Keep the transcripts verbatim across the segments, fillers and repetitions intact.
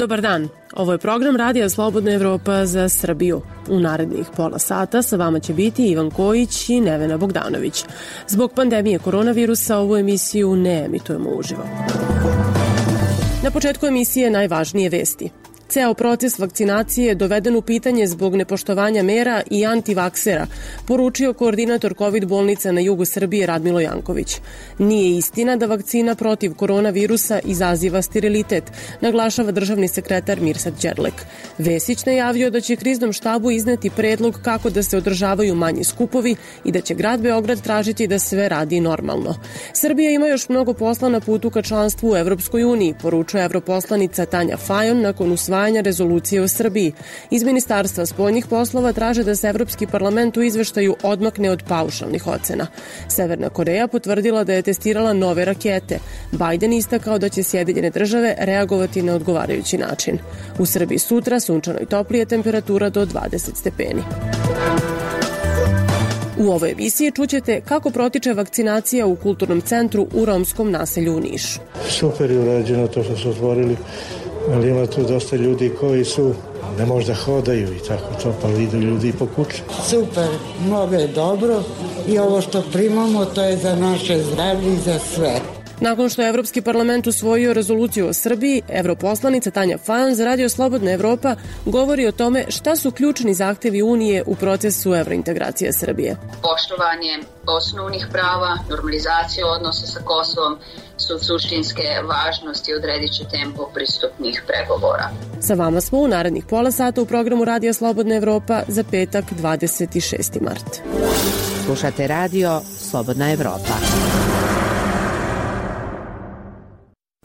Dobar dan, ovo je program Radija Slobodna Evropa za Srbiju. U narednih pola sata sa vama će biti Ivan Kojić i Nevena Bogdanović. Zbog pandemije koronavirusa ovu emisiju ne emitujemo uživo. Na početku emisije najvažnije vesti. Ceo proces vakcinacije je doveden u pitanje zbog nepoštovanja mera i antivaksera, poručio koordinator kovid bolnica na jugu Srbije Radmilo Janković. Nije istina da vakcina protiv koronavirusa izaziva sterilitet, naglašava državni sekretar Mirsad Đerlek. Vesić najavio da će kriznom štabu izneti predlog kako da se održavaju manji skupovi i da će grad Beograd tražiti da sve radi normalno. Srbija ima još mnogo posla na putu ka članstvu u Evropskoj uniji, poručuje evroposlanica Tanja Fajon nakon usvajanja rezolucije o Srbiji. Iz Ministarstva spoljnih poslova traže da se Evropski parlament u izveštaju odmakne od paušalnih ocena. Severna Koreja potvrdila da je testirala nove rakete. Bajden istakao da će Sjedinjene države reagovati na odgovarajući način. U Srbiji sutra sunčano i toplije, temperatura do dvadeset stepeni. U ovoj emisiji čućete kako protiče vakcinacija u kulturnom centru u romskom naselju u Nišu. Super je urađeno to što su otvorili, ali ima tu dosta ljudi koji su ne možda hodaju i tako to, pa idu ljudi po kući. Super, mnogo je dobro i ovo što primamo to je za naše zdravlje i za sve. Nakon što je Evropski parlament usvojio rezoluciju o Srbiji, evroposlanica Tanja Fajon za Radio Slobodna Evropa govori o tome šta su ključni zahtevi Unije u procesu evrointegracije Srbije. Poštovanje osnovnih prava, normalizacija odnosa sa Kosovom su suštinske važnosti i odredit će tempo pristupnih pregovora. Sa vama smo u narednih pola sata u programu Radija Slobodna Evropa za petak dvadeset šesti mart. Slušate Radio Slobodna Evropa.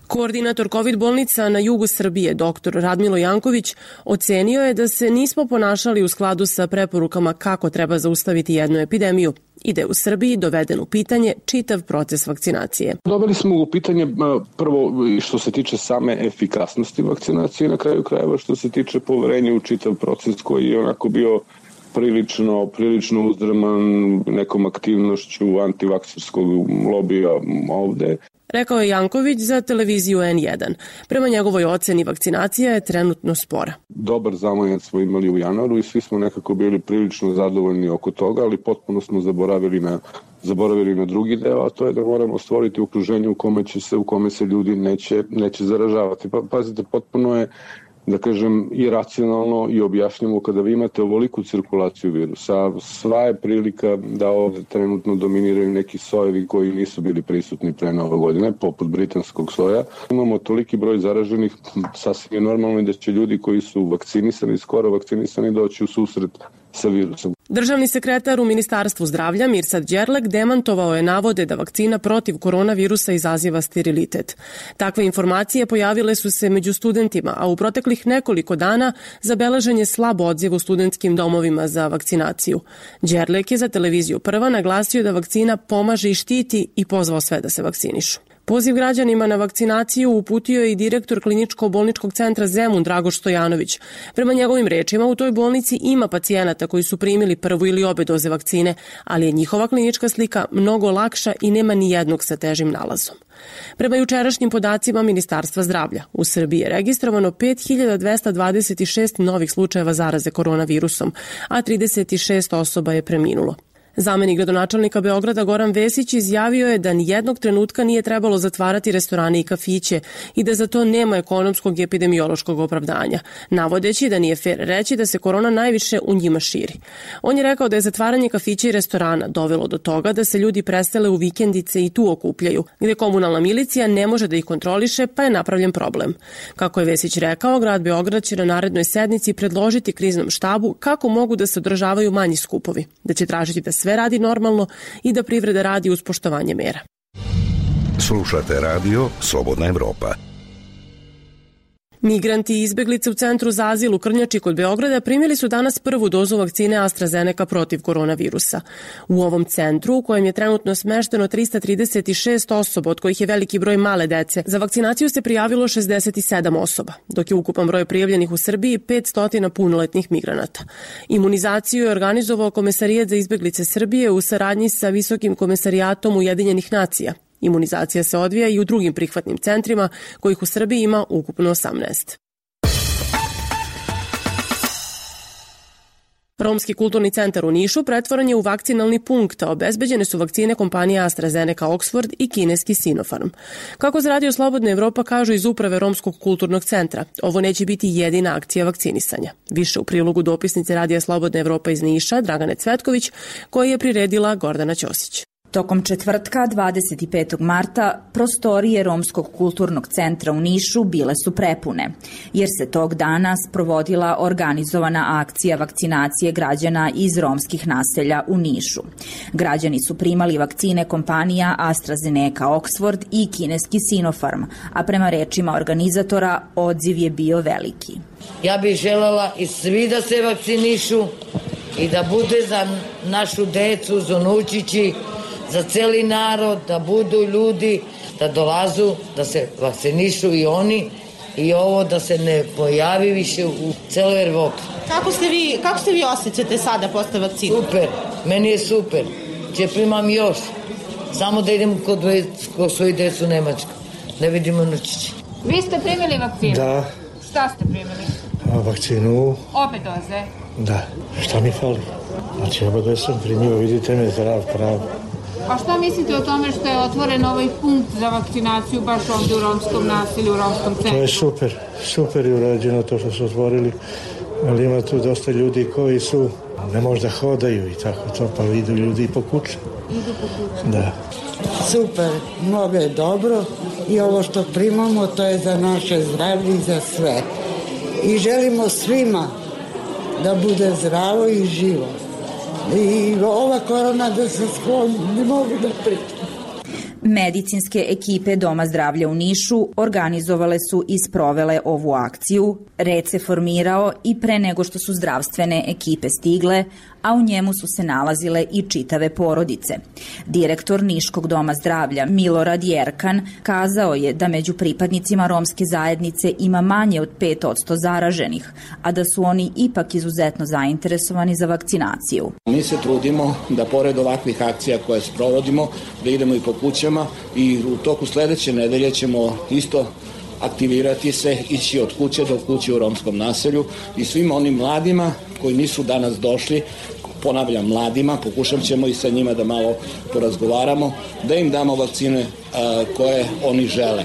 Koordinator kovid bolnica na jugu Srbije, doktor Radmilo Janković, ocenio je da se nismo ponašali u skladu sa preporukama kako treba zaustaviti jednu epidemiju i da je u Srbiji doveden u pitanje čitav proces vakcinacije. Doveli smo u pitanje prvo što se tiče same efikasnosti vakcinacije, na kraju krajeva što se tiče poverenja u čitav proces koji je onako bio prilično, prilično uzdrman nekom aktivnošću antivakserskog lobija ovde. Rekao je Janković za televiziju en jedan. Prema njegovoj oceni vakcinacija je trenutno spora. Dobar zamajac smo imali u januaru i svi smo nekako bili prilično zadovoljni oko toga, ali potpuno smo zaboravili na, zaboravili na drugi deo, a to je da moramo stvoriti okruženje u kome, će se, u kome se ljudi neće, neće zaražavati. Pa, pazite, potpuno je, da kažem, i racionalno i objašnjamo kada vi imate ovoliku cirkulaciju virusa. Sva je prilika da ovde trenutno dominiraju neki sojevi koji nisu bili prisutni pre nove godine, poput britanskog soja. Imamo toliki broj zaraženih, sasvim je normalno da će ljudi koji su vakcinisani, skoro vakcinisani, doći u susret sa virusom. Državni sekretar u Ministarstvu zdravlja Mirsad Đerlek demantovao je navode da vakcina protiv koronavirusa izaziva sterilitet. Takve informacije pojavile su se među studentima, a u proteklih nekoliko dana zabeležen je slab odziv u studentskim domovima za vakcinaciju. Đerlek je za televiziju Prva naglasio da vakcina pomaže i štiti i pozvao sve da se vakcinišu. Poziv građanima na vakcinaciju uputio je i direktor kliničko-bolničkog centra Zemun Dragoš Stojanović. Prema njegovim rečima, u toj bolnici ima pacijenata koji su primili prvu ili obe doze vakcine, ali je njihova klinička slika mnogo lakša i nema ni jednog sa težim nalazom. Prema jučerašnjim podacima Ministarstva zdravlja, u Srbiji je registrovano pet hiljada dvesta dvadeset šest novih slučajeva zaraze koronavirusom, a trideset šest osoba je preminulo. Zamenik gradonačelnika Beograda Goran Vesić izjavio je da nijednog trenutka nije trebalo zatvarati restorane i kafiće i da za to nema ekonomskog i epidemiološkog opravdanja, navodeći da nije fer reći da se korona najviše u njima širi. On je rekao da je zatvaranje kafića i restorana dovelo do toga da se ljudi presele u vikendice i tu okupljaju, gde komunalna milicija ne može da ih kontroliše, pa je napravljen problem. Kako je Vesić rekao, grad Beograd će na narednoj sednici predložiti kriznom štabu kako mogu da se održavaju manji skupovi, da će tražiti da sve radi normalno i da privreda radi uz poštovanje mera. Slušate Radio Slobodna Evropa. Migranti i izbeglice u Centru za azil u Krnjači kod Beograda primili su danas prvu dozu vakcine AstraZeneca protiv koronavirusa. U ovom centru, u kojem je trenutno smešteno trista trideset šest osoba, od kojih je veliki broj male dece, za vakcinaciju se prijavilo šezdeset sedam osoba, dok je ukupan broj prijavljenih u Srbiji petsto punoletnih migranata. Imunizaciju je organizovao Komesarijat za izbeglice Srbije u saradnji sa Visokim komesarijatom Ujedinjenih nacija. Imunizacija se odvija i u drugim prihvatnim centrima, kojih u Srbiji ima ukupno osamnaest. Romski kulturni centar u Nišu pretvoren je u vakcinalni punkt, a obezbeđene su vakcine kompanija AstraZeneca Oxford i kineski Sinopharm. Kako za Radio Slobodna Evropa kažu iz uprave Romskog kulturnog centra, ovo neće biti jedina akcija vakcinisanja. Više u prilogu dopisnice Radija Slobodna Evropa iz Niša, Dragane Cvetković, koji je priredila Gordana Ćosić. Tokom četvrtka, dvadeset petog marta, prostorije Romskog kulturnog centra u Nišu bile su prepune, jer se tog dana sprovodila organizovana akcija vakcinacije građana iz romskih naselja u Nišu. Građani su primali vakcine kompanija AstraZeneca Oxford i kineski Sinopharm, a prema rečima organizatora odziv je bio veliki. Ja bih želela i svi da se vakcinišu i da bude za našu decu, za unučići, za celi narod, da budu ljudi, da dolazu, da se vakcinišu i oni i ovo da se ne pojavi više u celoj Evropi. Kako ste vi, kako ste vi osjećate sada posle vakcine? Super, meni je super. Če primam još. Samo da idem kod, kod svoji decu u Nemačku. Ne vidimo nučići. Vi ste primili vakcinu? Da. Šta ste primili? A vakcinu? Obe doze? Da. Šta mi fali? Znači, oba dve sam primio, vidite me zdrav, prav. A šta mislite o tome što je otvoren ovaj punkt za vakcinaciju baš ovdje u romskom naselju, u romskom centru? To je super, super je urađeno to što su otvorili, ali ima tu dosta ljudi koji su, ne možda hodaju i tako to, pa idu ljudi po kući. Idu po kući? Da. Super, mnogo je dobro i ovo što primamo to je za naše zdravlje i za sve. I želimo svima da bude zdravo i živo. I ova korona da se skloni, ne mogu da pričam. Medicinske ekipe Doma zdravlja u Nišu organizovale su i sprovele ovu akciju. Red se formirao i pre nego što su zdravstvene ekipe stigle, a u njemu su se nalazile i čitave porodice. Direktor Niškog doma zdravlja Milorad Jerkan kazao je da među pripadnicima romske zajednice ima manje od pet posto zaraženih, a da su oni ipak izuzetno zainteresovani za vakcinaciju. Mi se trudimo da pored ovakvih akcija koje sprovodimo, da idemo i po kućama i u toku sledeće nedelje ćemo isto aktivirati se, ići od kuće do kuće u romskom naselju i svim onim mladima koji nisu danas došli, ponavljam mladima, pokušat ćemo i sa njima da malo porazgovaramo, da im damo vakcine a, koje oni žele.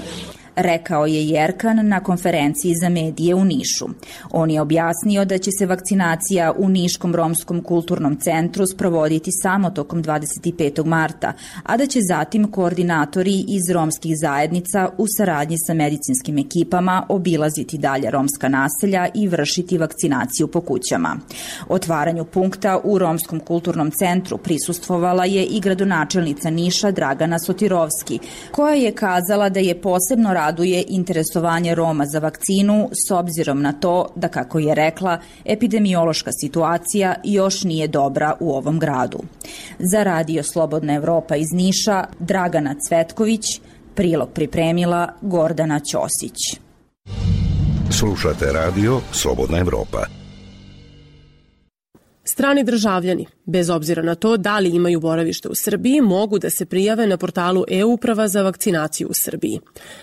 Rekao je Jerkan na konferenciji za medije u Nišu. On je objasnio da će se vakcinacija u Niškom romskom kulturnom centru sprovoditi samo tokom dvadeset petog marta, a da će zatim koordinatori iz romskih zajednica u saradnji sa medicinskim ekipama obilaziti dalje romska naselja i vršiti vakcinaciju po kućama. Otvaranju punkta u Romskom kulturnom centru prisustvovala je i gradonačelnica Niša Dragana Sotirovski, koja je kazala da je posebno raduje interesovanje Roma za vakcinu s obzirom na to da, kako je rekla, epidemiološka situacija još nije dobra u ovom gradu. Za Radio Slobodna Evropa iz Niša, Dragana Cvetković, prilog pripremila Gordana Ćosić. Slušate Radio Slobodna Evropa. Strani državljani, bez obzira na to da li imaju boravište u Srbiji, mogu da se prijave na portalu e-uprava za vakcinaciju u Srbiji.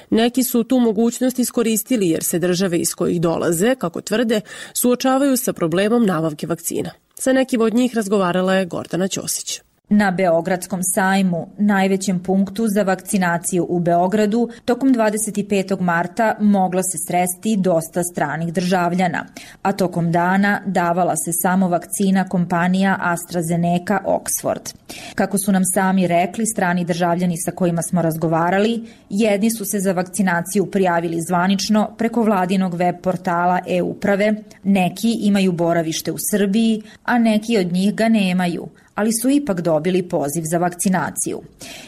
Neki su tu mogućnost iskoristili jer se države iz kojih dolaze, kako tvrde, suočavaju sa problemom nabavke vakcina. Sa nekim od njih razgovarala je Gordana Ćosić. Na Beogradskom sajmu, najvećem punktu za vakcinaciju u Beogradu, tokom dvadeset petog marta mogla se sresti dosta stranih državljana, a tokom dana davala se samo vakcina kompanija AstraZeneca Oxford. Kako su nam sami rekli strani državljani sa kojima smo razgovarali, jedni su se za vakcinaciju prijavili zvanično preko vladinog web portala e-uprave, neki imaju boravište u Srbiji, a neki od njih ga nemaju, ali su ipak dobili poziv za vakcinaciju.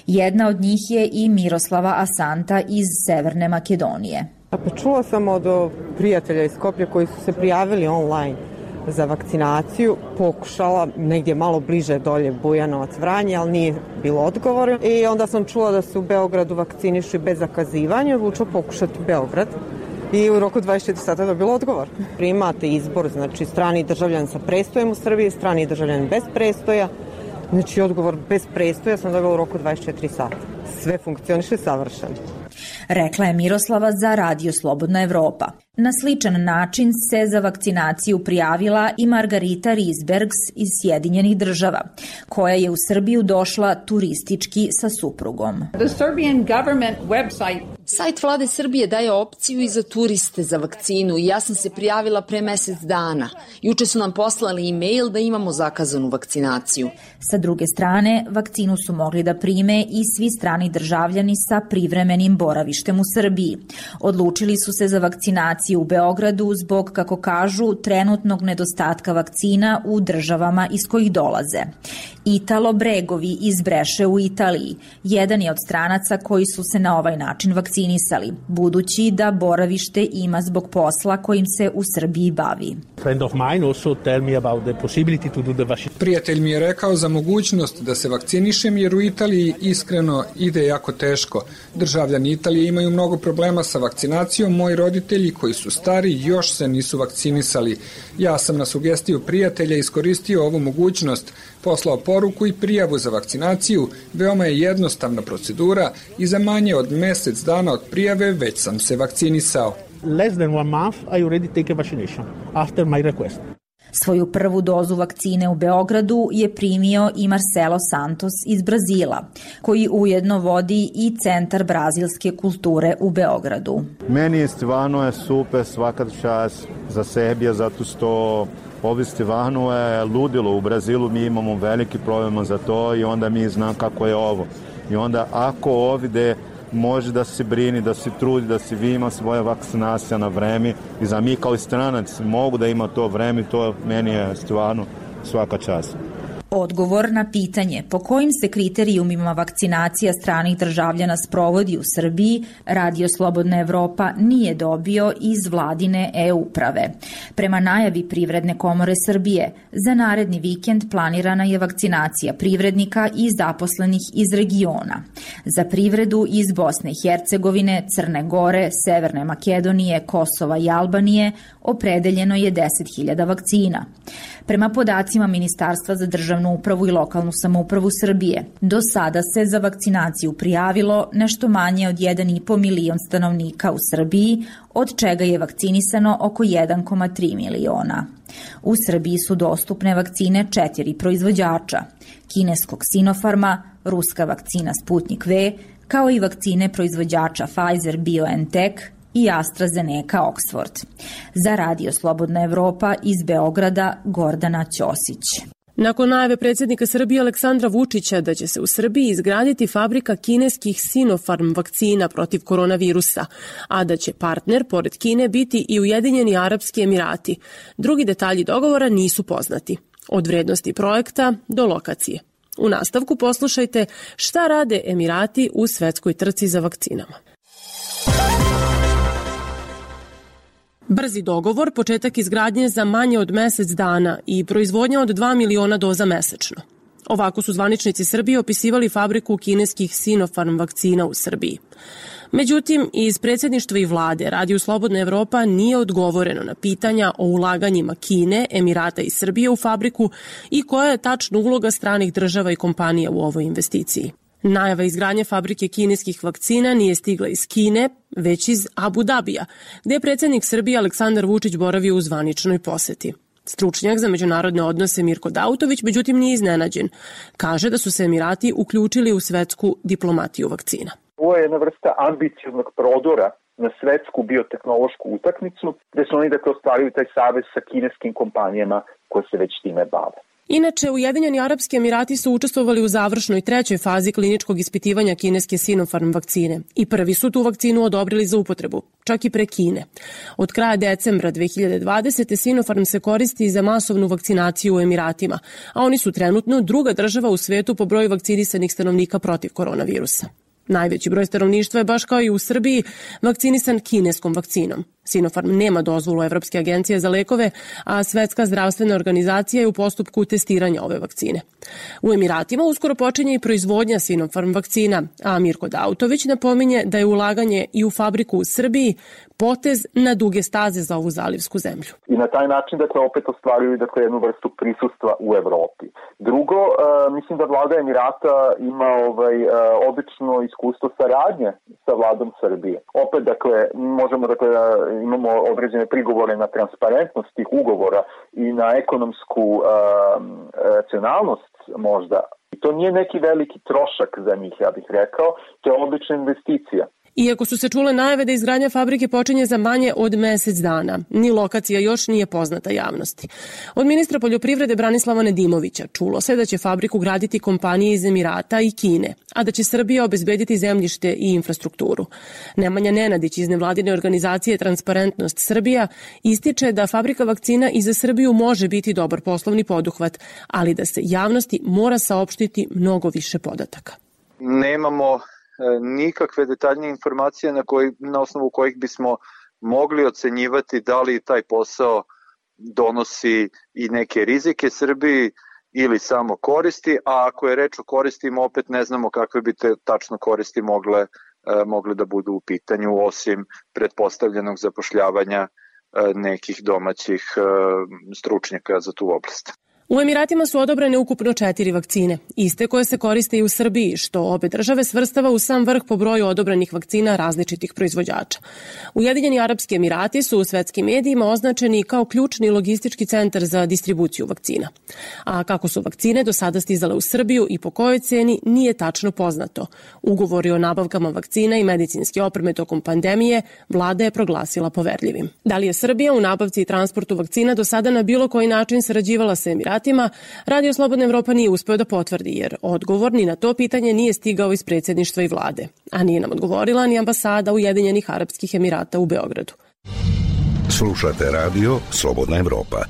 Jedna od njih je i Miroslava Asanta iz Severne Makedonije. Pa čula sam od prijatelja iz Skoplja koji su se prijavili online za vakcinaciju, pokušala negdje malo bliže dolje Bujanovac, Vranje, ali nije bilo odgovora. I onda sam čula da se u Beogradu vakcinišu bez zakazivanja, odlučila pokušati Beograd. I u roku dvadeset četiri sata dobilo odgovor. Primate izbor, znači strani državljan sa prestojem u Srbiji, strani državljan bez prestoja. Znači odgovor bez prestoja sam dobila u roku dvadeset četiri sata. Sve funkcioniše savršeno. Rekla je Miroslava za Radio Slobodna Evropa. Na sličan način se za vakcinaciju prijavila i Margarita Risbergs iz Sjedinjenih država, koja je u Srbiju došla turistički sa suprugom. The Serbian government website Sajt vlade Srbije daje opciju i za turiste za vakcinu i ja sam se prijavila pre mesec dana. Juče su nam poslali e-mail da imamo zakazanu vakcinaciju. Sa druge strane, vakcinu su mogli da prime i svi strani državljani sa privremenim boravištem u Srbiji. Odlučili su se za vakcinaciju u Beogradu zbog, kako kažu, trenutnog nedostatka vakcina u državama iz kojih dolaze. Italo Bregovi iz Breše u Italiji jedan je od stranaca koji su se na ovaj način vakcinisali, budući da boravište ima zbog posla kojim se u Srbiji bavi. Prijatelj mi je rekao za mogućnost da se vakcinišem jer u Italiji iskreno ide jako teško. Državljani Italije imaju mnogo problema sa vakcinacijom, moji roditelji koji su stari još se nisu vakcinisali. Ja sam na sugestiju prijatelja iskoristio ovu mogućnost, poslao poruku i prijavu za vakcinaciju, veoma je jednostavna procedura i za manje od mesec dana od prijave već sam se vakcinisao. Less than one month I already take a vaccination after my request. Svoju prvu dozu vakcine u Beogradu je primio i Marcelo Santos iz Brazila, koji ujedno vodi i Centar brazilske kulture u Beogradu. Meni je stvarno je super svaka čast za Srbiju, zato što ovdje stvarno je ludilo. U Brazilu mi imamo veliki problema za to i onda mi znam kako je ovo. I onda ako ovdje može da se brini, da se trudi, da se vi ima svoje vakcinacije na vreme i za mi kao stranac mogu da ima to vreme, to meni je stvarno svaka čast. Odgovor na pitanje po kojim se kriterijumima vakcinacija stranih državljana sprovodi u Srbiji, Radio Slobodna Evropa nije dobio iz vladine e-uprave. Prema najavi Privredne komore Srbije, za naredni vikend planirana je vakcinacija privrednika i zaposlenih iz regiona. Za privredu iz Bosne i Hercegovine, Crne Gore, Severne Makedonije, Kosova i Albanije opredeljeno je deset hiljada vakcina. Prema podacima Ministarstva za državnu upravu i lokalnu samoupravu Srbije, do sada se za vakcinaciju prijavilo nešto manje od jedan i po milion stanovnika u Srbiji, od čega je vakcinisano oko jedan zarez tri miliona. U Srbiji su dostupne vakcine četiri proizvođača, kineskog Sinopharma, ruska vakcina Sputnik V, kao i vakcine proizvođača Pfizer BioNTech i AstraZeneca Oxford. Za Radio Slobodna Evropa iz Beograda, Gordana Ćosić. Nakon najave predsjednika Srbije Aleksandra Vučića da će se u Srbiji izgraditi fabrika kineskih Sinopharm vakcina protiv koronavirusa, a da će partner pored Kine biti i Ujedinjeni Arapski Emirati, drugi detalji dogovora nisu poznati. Od vrednosti projekta do lokacije. U nastavku poslušajte šta rade Emirati u svetskoj trci za vakcinama. Brzi dogovor, početak izgradnje za manje od mesec dana i proizvodnja od dva miliona doza mesečno. Ovako su zvaničnici Srbije opisivali fabriku kineskih Sinopharm vakcina u Srbiji. Međutim, iz predsjedništva i vlade Radio Slobodna Evropa nije odgovoreno na pitanja o ulaganjima Kine, Emirata i Srbije u fabriku i koja je tačna uloga stranih država i kompanija u ovoj investiciji. Najava izgradnje fabrike kineskih vakcina nije stigla iz Kine, već iz Abu Dabija, gde je predsjednik Srbije Aleksandar Vučić boravio u zvaničnoj poseti. Stručnjak za međunarodne odnose Mirko Dautović, međutim, nije iznenađen. Kaže da su se Emirati uključili u svetsku diplomatiju vakcina. Ovo je jedna vrsta ambicioznog prodora na svetsku biotehnološku utakmicu, gde su oni dakle ostvarili taj savez sa kineskim kompanijama koje se već time bave. Inače, Ujedinjeni Arapski Emirati su učestvovali u završnoj trećoj fazi kliničkog ispitivanja kineske Sinopharm vakcine i prvi su tu vakcinu odobrili za upotrebu, čak i pre Kine. Od kraja decembra dve hiljade dvadesete. Sinopharm se koristi za masovnu vakcinaciju u Emiratima, a oni su trenutno druga država u svetu po broju vakcinisanih stanovnika protiv koronavirusa. Najveći broj stanovništva je, baš kao i u Srbiji, vakcinisan kineskom vakcinom. Sinopharm nema dozvolu Evropske agencije za lekove, a Svetska zdravstvena organizacija je u postupku testiranja ove vakcine. U Emiratima uskoro počinje i proizvodnja Sinopharm vakcina, a Mirko Dautović napominje da je ulaganje i u fabriku u Srbiji potez na duge staze za ovu zalivsku zemlju. I na taj način dakle opet ostvaruju dakle jednu vrstu prisustva u Evropi. Drugo, uh, mislim da vlada Emirata ima ovaj uh, odlično iskustvo saradnje sa vladom Srbije. Opet dakle možemo dakle imamo određene prigovore na transparentnost tih ugovora i na ekonomsku uh, racionalnost možda. I to nije neki veliki trošak za njih, ja bih rekao, to je odlična investicija. Iako su se čule najave da izgradnja fabrike počinje za manje od mesec dana, ni lokacija još nije poznata javnosti. Od ministra poljoprivrede Branislava Nedimovića čulo se da će fabriku graditi kompanije iz Emirata i Kine, a da će Srbija obezbediti zemljište i infrastrukturu. Nemanja Nenadić iz nevladine organizacije Transparentnost Srbija ističe da fabrika vakcina i za Srbiju može biti dobar poslovni poduhvat, ali da se javnosti mora saopštiti mnogo više podataka. Nemamo nikakve detaljnije informacije na, koji, na osnovu kojih bismo mogli ocenjivati da li taj posao donosi i neke rizike Srbiji ili samo koristi, a ako je reč o koristima, opet ne znamo kakve bi te tačno koristi mogle, mogle da budu u pitanju, osim pretpostavljenog zapošljavanja nekih domaćih stručnjaka za tu oblast. U Emiratima su odobrene ukupno četiri vakcine, iste koje se koriste i u Srbiji, što obe države svrstava u sam vrh po broju odobrenih vakcina različitih proizvođača. Ujedinjeni Arapski Emirati su u svetskim medijima označeni kao ključni logistički centar za distribuciju vakcina. A kako su vakcine do sada stizale u Srbiju i po kojoj ceni nije tačno poznato. Ugovori o nabavkama vakcina i medicinske opreme tokom pandemije vlada je proglasila poverljivim. Da li je Srbija u nabavci i transportu vakcina do sada na bilo koji način sarađivala sa Emiratima, Radio Slobodna Evropa nije uspeo da potvrdi, jer odgovor ni na to pitanje nije stigao iz predsjedništva i vlade, a nije nam odgovorila ni ambasada Ujedinjenih Arapskih Emirata u Beogradu. Slušate radio Slobodna Evropa.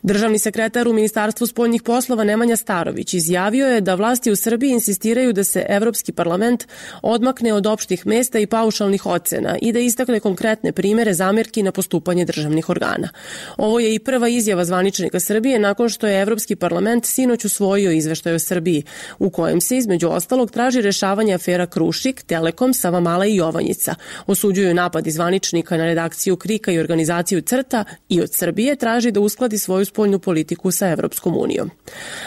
Državni sekretar u Ministarstvu spoljnih poslova Nemanja Starović izjavio je da vlasti u Srbiji insistiraju da se Evropski parlament odmakne od opštih mesta i paušalnih ocena i da istakne konkretne primere zamerki na postupanje državnih organa. Ovo je i prva izjava zvaničnika Srbije nakon što je Evropski parlament sinoć usvojio izveštaj o Srbiji, u kojem se između ostalog traži rešavanje afera Krušik, Telekom, Savamala i Jovanjica. Osuđuju napad zvaničnika na redakciju Krika i organizaciju Crta i od Srbije traži da uskladi svoju spoljnu politiku sa Evropskom unijom.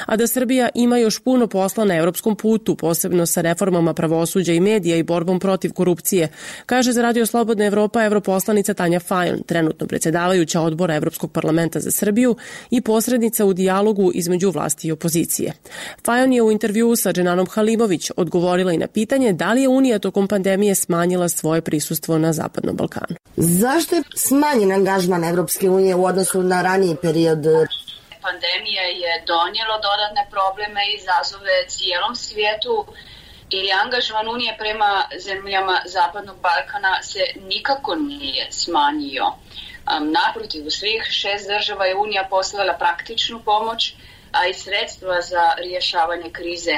A da Srbija ima još puno posla na evropskom putu, posebno sa reformama pravosuđa i medija i borbom protiv korupcije, kaže za Radio Slobodna Evropa europoslanica Tanja Fajon, trenutno predsjedavajuća odbora Evropskog parlamenta za Srbiju i posrednica u dijalogu između vlasti i opozicije. Fajon je u intervjuu sa Dženanom Halimović odgovorila i na pitanje da li je Unija tokom pandemije smanjila svoje prisustvo na Zapadnom Balkanu. Zašto je smanjen angažman Evropske unije u odnosu na raniji period? Pandemija je donijelo dodatne probleme i izazove cijelom svijetu i angažman Unije prema zemljama Zapadnog Balkana se nikako nije smanjio. Naprotiv, u svih šest država je Unija poslala praktičnu pomoć, a i sredstva za rješavanje krize.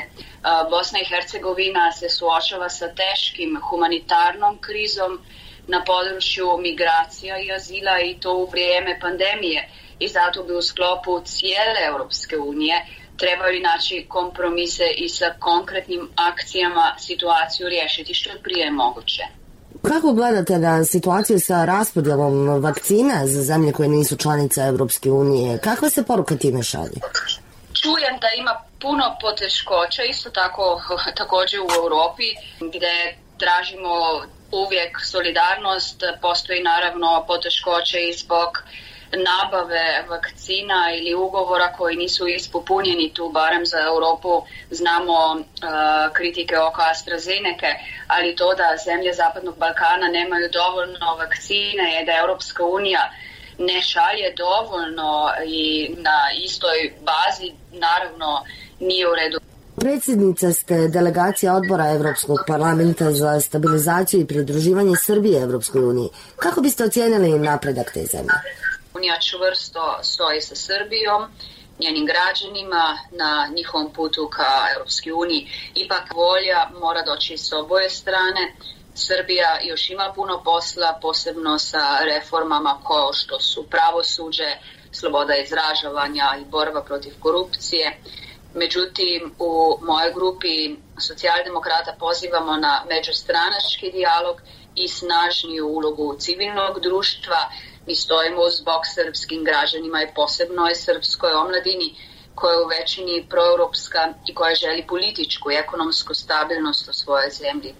Bosna i Hercegovina se suočava sa teškim humanitarnom krizom na području migracija i azila i to u vrijeme pandemije. I zato bi u sklopu cijele Europske unije trebali naći kompromise i sa konkretnim akcijama situaciju riješiti što je prije moguće. Kako gledate na situaciju sa raspodjelom vakcina za zemlje koje nisu članice Europske unije? Kakva se poruka time šalje? Čujem da ima puno poteškoća, isto tako također u Europi, gdje tražimo uvijek solidarnost. Postoji naravno poteškoće i zbog nabave vakcina ili ugovora koji nisu ispunjeni, tu barem za Europu znamo uh, kritike oko AstraZeneca, ali to da zemlje Zapadnog Balkana nemaju dovoljno vakcine je da Europska unija ne šalje dovoljno i na istoj bazi naravno nije u redu. Predsjednica ste delegacija odbora Evropskog parlamenta za stabilizaciju i pridruživanje Srbije Evropskoj uniji. Kako biste ocijenili napredak te zemlje? Unija čvrsto stoji sa Srbijom, njenim građanima na njihovom putu ka Europskoj uniji. Ipak volja mora doći s oboje strane. Srbija još ima puno posla, posebno sa reformama kao što su pravosuđe, sloboda izražavanja i borba protiv korupcije. Međutim, u mojoj grupi socijaldemokrata pozivamo na međustranački dijalog i snažniju ulogu civilnog društva. Mi stojimo uz bok srpskim građanima i posebno i srpskoj omladini. koja je u većini proeuropska i koja želi političku i ekonomsku stabilnost u svojoj zemlji.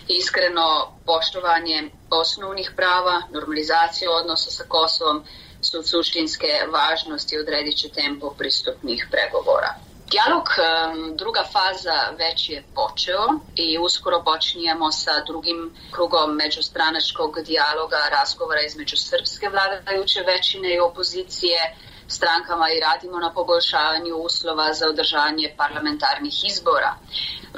Iskreno poštovanje osnovnih prava, normalizacija odnosa sa Kosovom su od suštinske važnosti i odredit će tempo pristupnih pregovora. Dijalog, druga faza, već je počeo i uskoro počinjemo sa drugim krugom međustranačkog dijaloga, razgovora između srpske vladajuće većine i opozicije strankama i radimo na poboljšavanju uslova za održanje parlamentarnih izbora.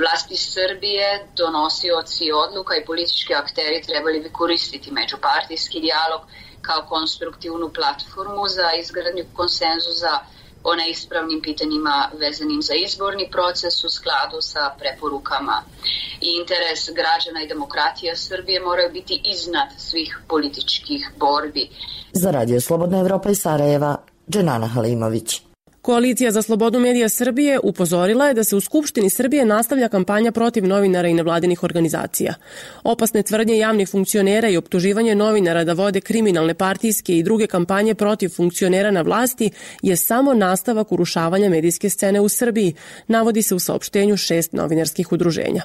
Vlasti Srbije, donosioci odluka i politički akteri trebali bi koristiti međupartijski dijalog kao konstruktivnu platformu za izgradnju konsenzusa o neispravnim pitanjima vezanim za izborni proces u skladu sa preporukama. I interes građana i demokratija Srbije moraju biti iznad svih političkih borbi. Za Radio Slobodna Evropa iz Sarajeva, Dženana Halimović. Koalicija za slobodu medija Srbije upozorila je da se u Skupštini Srbije nastavlja kampanja protiv novinara i nevladinih organizacija. Opasne tvrdnje javnih funkcionera i optuživanje novinara da vode kriminalne partijske i druge kampanje protiv funkcionera na vlasti je samo nastavak urušavanja medijske scene u Srbiji, navodi se u saopštenju šest novinarskih udruženja.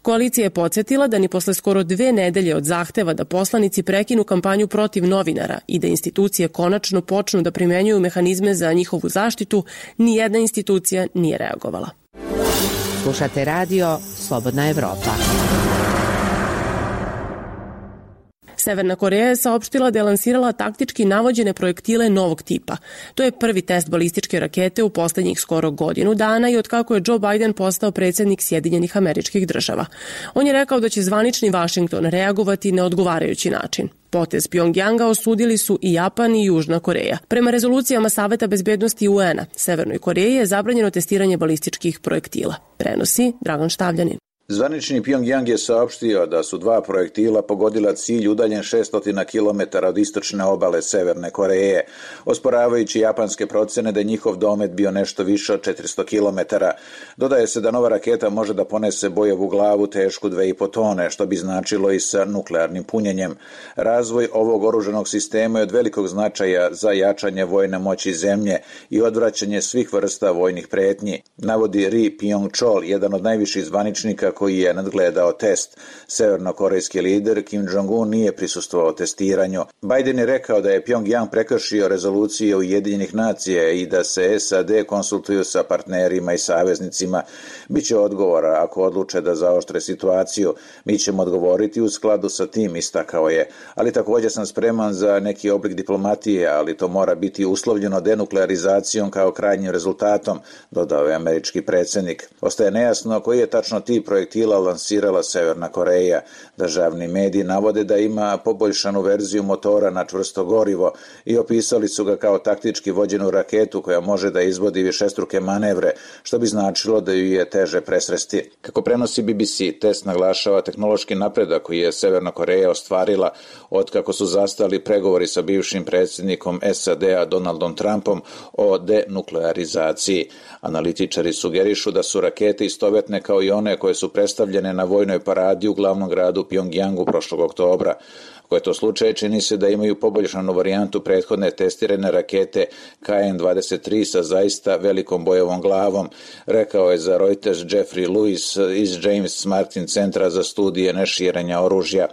Koalicija je podsjetila da ni posle skoro dve nedelje od zahteva da poslanici prekinu kampanju protiv novinara i da institucije konačno počnu da primenjuju mehanizme za njihovu zaštitu, nijedna institucija nije reagovala. Slušate radio Slobodna Evropa. Severna Koreja je saopštila da je lansirala taktički navođene projektile novog tipa. To je prvi test balističke rakete u poslednjih skoro godinu dana i otkako je Joe Biden postao predsjednik Sjedinjenih Američkih Država. On je rekao da će zvanični Vašington reagovati na odgovarajući način. Potez Pjongjanga osudili su i Japan i Južna Koreja. Prema rezolucijama Saveta bezbednosti U N-a, Severnoj Koreji je zabranjeno testiranje balističkih projektila. Prenosi Dragan Štavljanin. Zvanični Pjongjang je saopštio da su dva projektila pogodila cilj udaljen šesto kilometara od istočne obale Severne Koreje, osporavajući japanske procene da je njihov domet bio nešto više od četiristo kilometara. Dodaje se da nova raketa može da ponese bojevu glavu tešku dve i po tone, što bi značilo i sa nuklearnim punjenjem. Razvoj ovog oružanog sistema je od velikog značaja za jačanje vojne moći zemlje i odvraćanje svih vrsta vojnih pretnji, navodi Ri Pyong-chol, jedan od najviših zvaničnika koji je nadgledao test. Severnokorejski lider Kim Jong-un nije prisustvovao testiranju. Biden je rekao da je Pjongjang prekršio rezolucije Ujedinjenih nacija i da se S A D konsultuju sa partnerima i saveznicima. Biće odgovora ako odluče da zaoštre situaciju. Mi ćemo odgovoriti u skladu sa tim, istakao je. Ali također sam spreman za neki oblik diplomatije, ali to mora biti uslovljeno denuklearizacijom kao krajnjim rezultatom, dodao je američki predsjednik. Ostaje nejasno koji je tačno tip projektila lansirala Severna Koreja. Državni mediji navode da ima poboljšanu verziju motora na čvrsto gorivo i opisali su ga kao taktički vođenu raketu koja može da izvodi višestruke manevre, što bi značilo da ju je teže presresti. Kako prenosi B B C, test naglašava tehnološki napredak koji je Severna Koreja ostvarila otkako su zastali pregovori sa bivšim predsjednikom S A D-a Donaldom Trumpom o denuklearizaciji. Analitičari sugerišu da su rakete istovetne kao i one koje su predstavljene na vojnoj paradi u glavnom gradu Pjongjangu prošlog oktobra. Ako je to slučaj, čini se da imaju poboljšanu varijantu prethodne testirane rakete K N dvadeset tri sa zaista velikom bojevom glavom, rekao je za Reuters Jeffrey Lewis iz James Martin centra za studije neširenja oružja.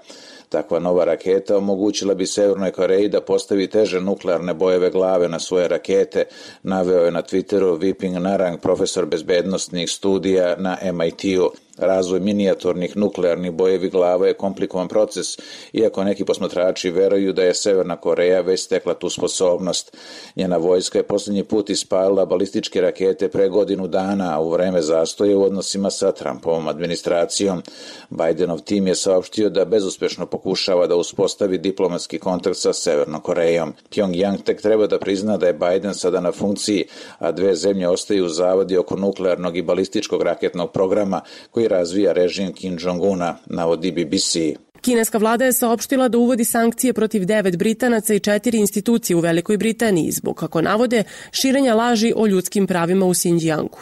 Takva nova raketa omogućila bi Severnoj Koreji da postavi teže nuklearne bojeve glave na svoje rakete, naveo je na Twitteru Viping Narang, profesor bezbednostnih studija na M I T-u. Razvoj minijaturnih nuklearnih bojevi glava je komplikovan proces, iako neki posmatrači veruju da je Severna Koreja već stekla tu sposobnost. Njena vojska je posljednji put ispalila balističke rakete pre godinu dana, a u vreme zastoja u odnosima sa Trumpovom administracijom. Bidenov tim je saopštio da bezuspešno pokušava da uspostavi diplomatski kontakt sa Severnom Korejom. Pjongjang tek treba da prizna da je Biden sada na funkciji, a dve zemlje ostaju u zavadi oko nuklearnog i balističkog raketnog programa koji razvija režim Kim Jong-una, navodi B B C. Kineska vlada je saopštila da uvodi sankcije protiv devet Britanaca i četiri institucije u Velikoj Britaniji zbog, kako navode, širenja laži o ljudskim pravima u Xinjiangu.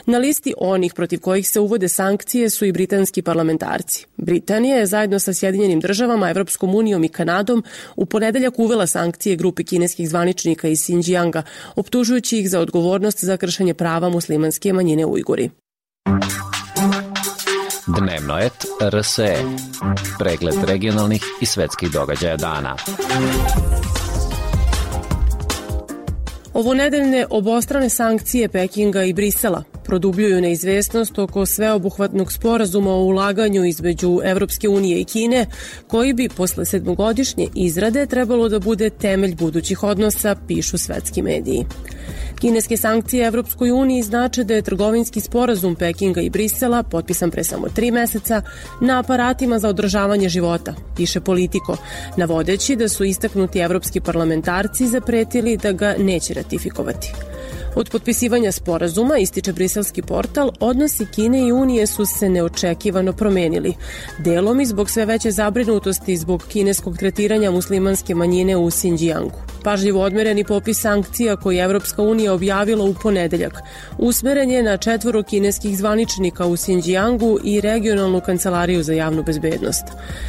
Na listi onih protiv kojih se uvode sankcije su i britanski parlamentarci. Britanija je zajedno sa Sjedinjenim državama, Evropskom unijom i Kanadom u ponedeljak uvela sankcije grupi kineskih zvaničnika iz Xinjianga, optužujući ih za odgovornost za kršenje prava muslimanske manjine Ujguri. Dnevnoet R S E. Pregled regionalnih i svetskih događaja dana. Ovonedeljne obostrane sankcije Pekinga i Brisela produbljuju neizvesnost oko sveobuhvatnog sporazuma o ulaganju između Evropske unije i Kine, koji bi posle sedmogodišnje izrade trebalo da bude temelj budućih odnosa, pišu svetski mediji. Kineske sankcije Evropskoj uniji znače da je trgovinski sporazum Pekinga i Brisela, potpisan pre samo tri meseca, na aparatima za održavanje života, piše Politico, navodeći da su istaknuti evropski parlamentarci zapretili da ga neće ratifikovati. Od potpisivanja sporazuma, ističe briselski portal, odnosi Kine i Unije su se neočekivano promenili, delom i zbog sve veće zabrinutosti zbog kineskog tretiranja muslimanske manjine u Xinjiangu. Pažljivo odmereni popis sankcija koji je Evropska unija objavila u ponedeljak usmeren je na četvoro kineskih zvaničnika u Xinjiangu i regionalnu kancelariju za javnu bezbednost.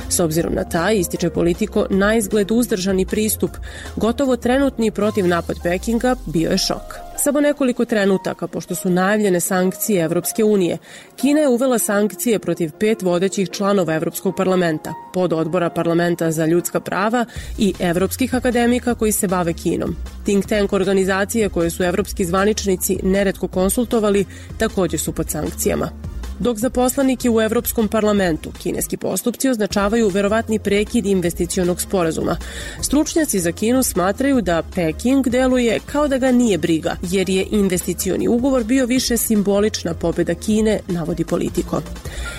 S obzirom na taj, ističe Politico, na izgled uzdržani pristup, gotovo trenutni protiv napad Pekinga, bio je šok. Samo nekoliko trenutaka, pošto su najavljene sankcije Evropske unije, Kina je uvela sankcije protiv pet vodećih članova Evropskog parlamenta, pododbora parlamenta za ljudska prava i evropskih akademika koji se bave Kinom. Think tank organizacije koje su evropski zvaničnici neretko konsultovali takođe su pod sankcijama. Dok za poslanike u Evropskom parlamentu kineski postupci označavaju verovatni prekid investicionog sporazuma, stručnjaci za Kinu smatraju da Peking deluje kao da ga nije briga, jer je investicioni ugovor bio više simbolična pobeda Kine, navodi Politico.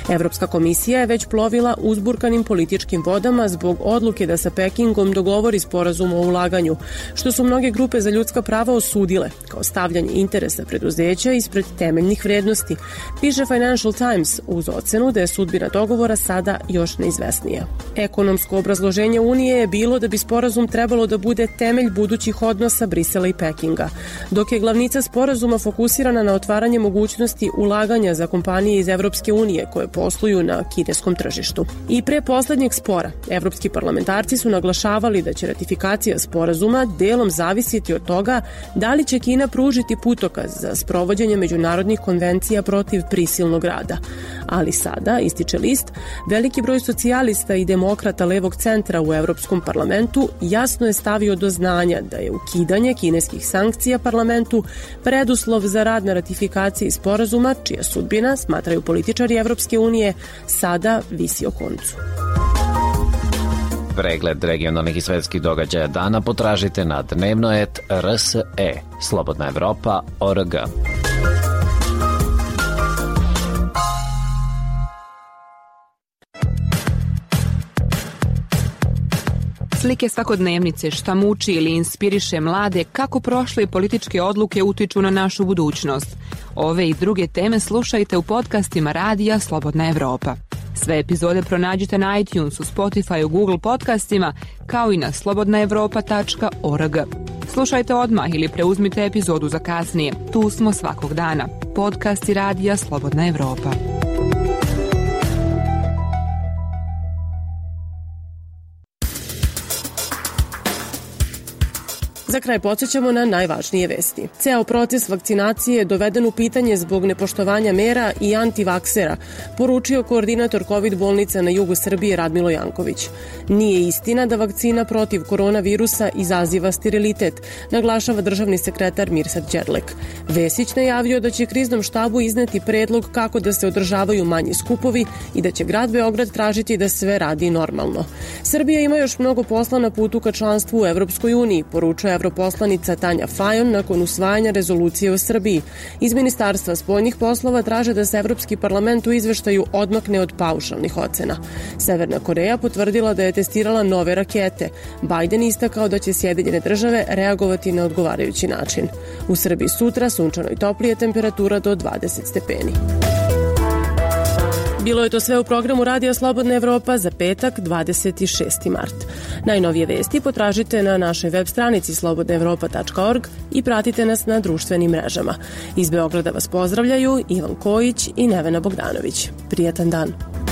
Evropska komisija je već plovila uzburkanim političkim vodama zbog odluke da sa Pekingom dogovori sporazum o ulaganju, što su mnoge grupe za ljudska prava osudile kao stavljanje interesa preduzeća ispred temeljnih vrednosti, piše Financial Times uz ocenu da je sudbina dogovora sada još neizvesnija. Ekonomsko obrazloženje Unije je bilo da bi sporazum trebalo da bude temelj budućih odnosa Brisela i Pekinga, dok je glavnica sporazuma fokusirana na otvaranje mogućnosti ulaganja za kompanije iz Evropske unije koje posluju na kineskom tržištu. I pre poslednjeg spora, evropski parlamentarci su naglašavali da će ratifikacija sporazuma delom zavisiti od toga da li će Kina pružiti putokaz za sprovođenje međunarodnih konvencija protiv prisilnog rada. Ali sada, ističe list, veliki broj socijalista i demokrata levog centra u Evropskom parlamentu jasno je stavio do znanja da je ukidanje kineskih sankcija parlamentu preduslov za rad na ratifikaciji sporazuma, čija sudbina, smatraju političari Evropske unije, sada visi o koncu. Pregled regionalnih i svetskih događaja dana potražite na dnevnoet R S E, Slobodna Evropa, O R G. Slike svakodnevnice, šta muči ili inspiriše mlade, kako prošle političke odluke utiču na našu budućnost. Ove i druge teme slušajte u podcastima Radija Slobodna Evropa. Sve epizode pronađite na iTunesu, Spotifyu, Google podcastima, kao i na slobodna evropa tačka org. Slušajte odmah ili preuzmite epizodu za kasnije. Tu smo svakog dana. Podcasti Radija Slobodna Evropa. Za kraj podsjećamo na najvažnije vesti. Ceo proces vakcinacije je doveden u pitanje zbog nepoštovanja mera i antivaksera, poručio koordinator COVID bolnica na jugu Srbije Radmilo Janković. Nije istina da vakcina protiv koronavirusa izaziva sterilitet, naglašava državni sekretar Mirsad Đerlek. Vesić najavio da će kriznom štabu izneti predlog kako da se održavaju manji skupovi i da će grad Beograd tražiti da sve radi normalno. Srbija ima još mnogo posla na putu ka članstvu u Evropskoj uniji, poručuje europoslanica Tanja Fajon nakon usvajanja rezolucije o Srbiji. Iz Ministarstva spoljnih poslova traže da se Evropski parlament u izveštaju odmakne od paušalnih ocena. Severna Koreja potvrdila da je testirala nove rakete. Biden istakao da će Sjedinjene države reagovati na odgovarajući način. U Srbiji sutra sunčano i toplije, temperatura do dvadeset stepeni. Bilo je to sve u programu Radija Slobodna Evropa za petak, dvadeset šesti mart. Najnovije vesti potražite na našoj web stranici slobodna evropa tačka org i pratite nas na društvenim mrežama. Iz Beograda vas pozdravljaju Ivan Kojić i Nevena Bogdanović. Prijatan dan.